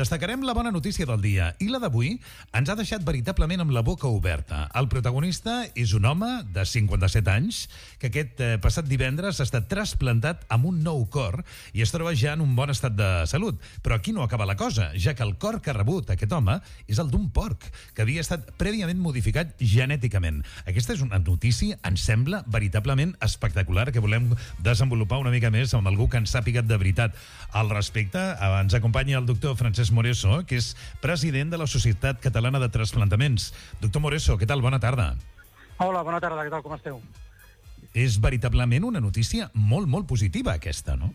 Destacarem la bona notícia del dia i la d'avui ens ha deixat veritablement amb la boca oberta. El protagonista és un home de 57 anys que aquest passat divendres ha estat trasplantat amb un nou cor i es troba ja en un bon estat de salut. Però aquí no acaba la cosa, ja que el cor que ha rebut aquest home és el d'un porc, que havia estat prèviament modificat genèticament. Aquesta és una notícia, ens sembla, veritablement espectacular, que volem desenvolupar una mica més amb algú que ens sàpiga de veritat al respecte. Ens acompanya el doctor Francesc Moreso, que és president de la Societat Catalana de Trasplantaments. Doctor Moreso, què tal? Bona tarda. Hola, bona tarda, què tal, com esteu? És veritablement una notícia molt, molt positiva aquesta, no?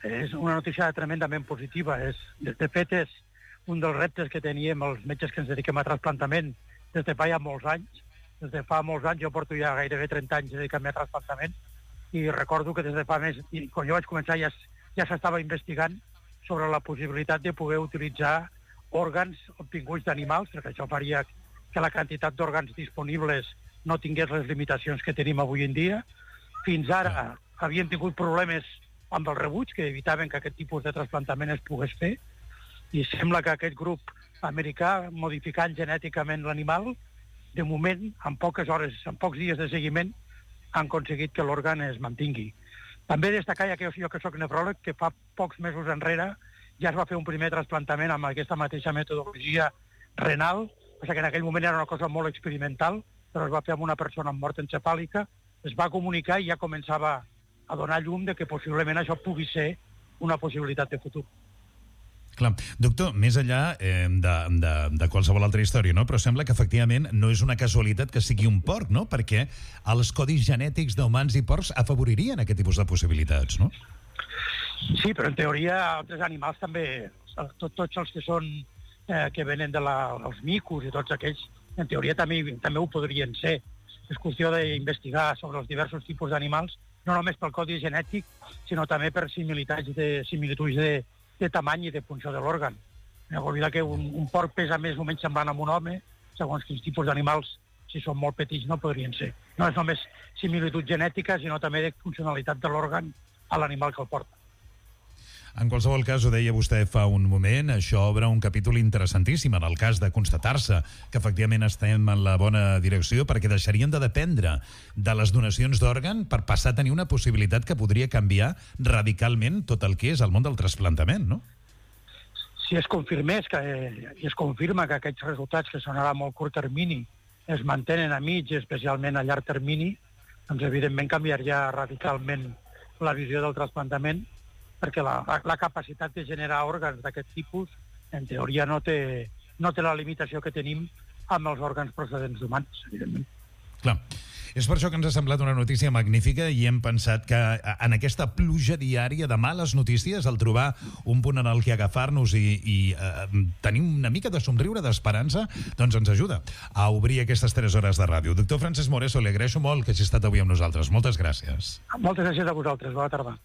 És una notícia tremendament positiva. De fet, és un dels reptes que teníem els metges que ens dediquem a trasplantament des de fa ja molts anys. Des de fa molts anys, jo porto ja gairebé 30 anys dedicant-me a trasplantament i recordo que des de fa més, i quan jo vaig començar ja s'estava investigant sobre la possibilitat de poder utilitzar òrgans obtinguts d'animals, perquè això faria que la quantitat d'òrgans disponibles no tingués les limitacions que tenim avui en dia. Fins ara havíem tingut problemes amb el rebuig, que evitaven que aquest tipus de trasplantament es pogués fer, i sembla que aquest grup americà, modificant genèticament l'animal, de moment, en poques hores, en pocs dies de seguiment, han aconseguit que l'òrgan es mantingui. També destacar, ja que jo que soc nefròleg, que fa pocs mesos enrere ja es va fer un primer trasplantament amb aquesta mateixa metodologia renal, perquè en aquell moment era una cosa molt experimental, però es va fer amb una persona amb mort encefàlica, es va comunicar i ja començava a donar llum de que possiblement això pugui ser una possibilitat de futur. Clar. Doctor, més enllà de qualsevol altra història, no? Però sembla que efectivament no és una casualitat que sigui un porc, no? Perquè els codis genètics d'humans i porcs afavoririen aquest tipus de possibilitats, no? Sí, però en teoria altres animals també, tots els que són que venen dels micos i tots aquells, en teoria també ho podrien ser. És qüestió d'investigar sobre els diversos tipus d'animals, no només pel codi genètic, sinó també per similituds de tamany i de funció de l'òrgan. No oblidar que un porc pesa més o menys semblant amb un home, segons quins tipus d'animals, si són molt petits, no podrien ser. No és només similitud genètica, sinó també de funcionalitat de l'òrgan a l'animal que el porta. En qualsevol cas, ho deia vostè fa un moment, això obre un capítol interessantíssim en el cas de constatar-se que efectivament estem en la bona direcció, perquè deixarien de dependre de les donacions d'òrgan per passar a tenir una possibilitat que podria canviar radicalment tot el que és el món del trasplantament, no? Si es confirmés i es confirma que aquests resultats, que són ara a molt curt termini, es mantenen a mig i especialment a llarg termini, doncs evidentment canviaria radicalment la visió del trasplantament, perquè la capacitat de generar òrgans d'aquest tipus, en teoria, no té la limitació que tenim amb els òrgans procedents d'humans, evidentment. Clar. És per això que ens ha semblat una notícia magnífica i hem pensat que en aquesta pluja diària de males notícies, al trobar un punt en el que agafar-nos i tenir una mica de somriure, d'esperança, doncs ens ajuda a obrir aquestes 3 hores de ràdio. Doctor Francesc Moreso, li agraeixo molt que hagi estat avui amb nosaltres. Moltes gràcies. Moltes gràcies a vosaltres. Bona tarda.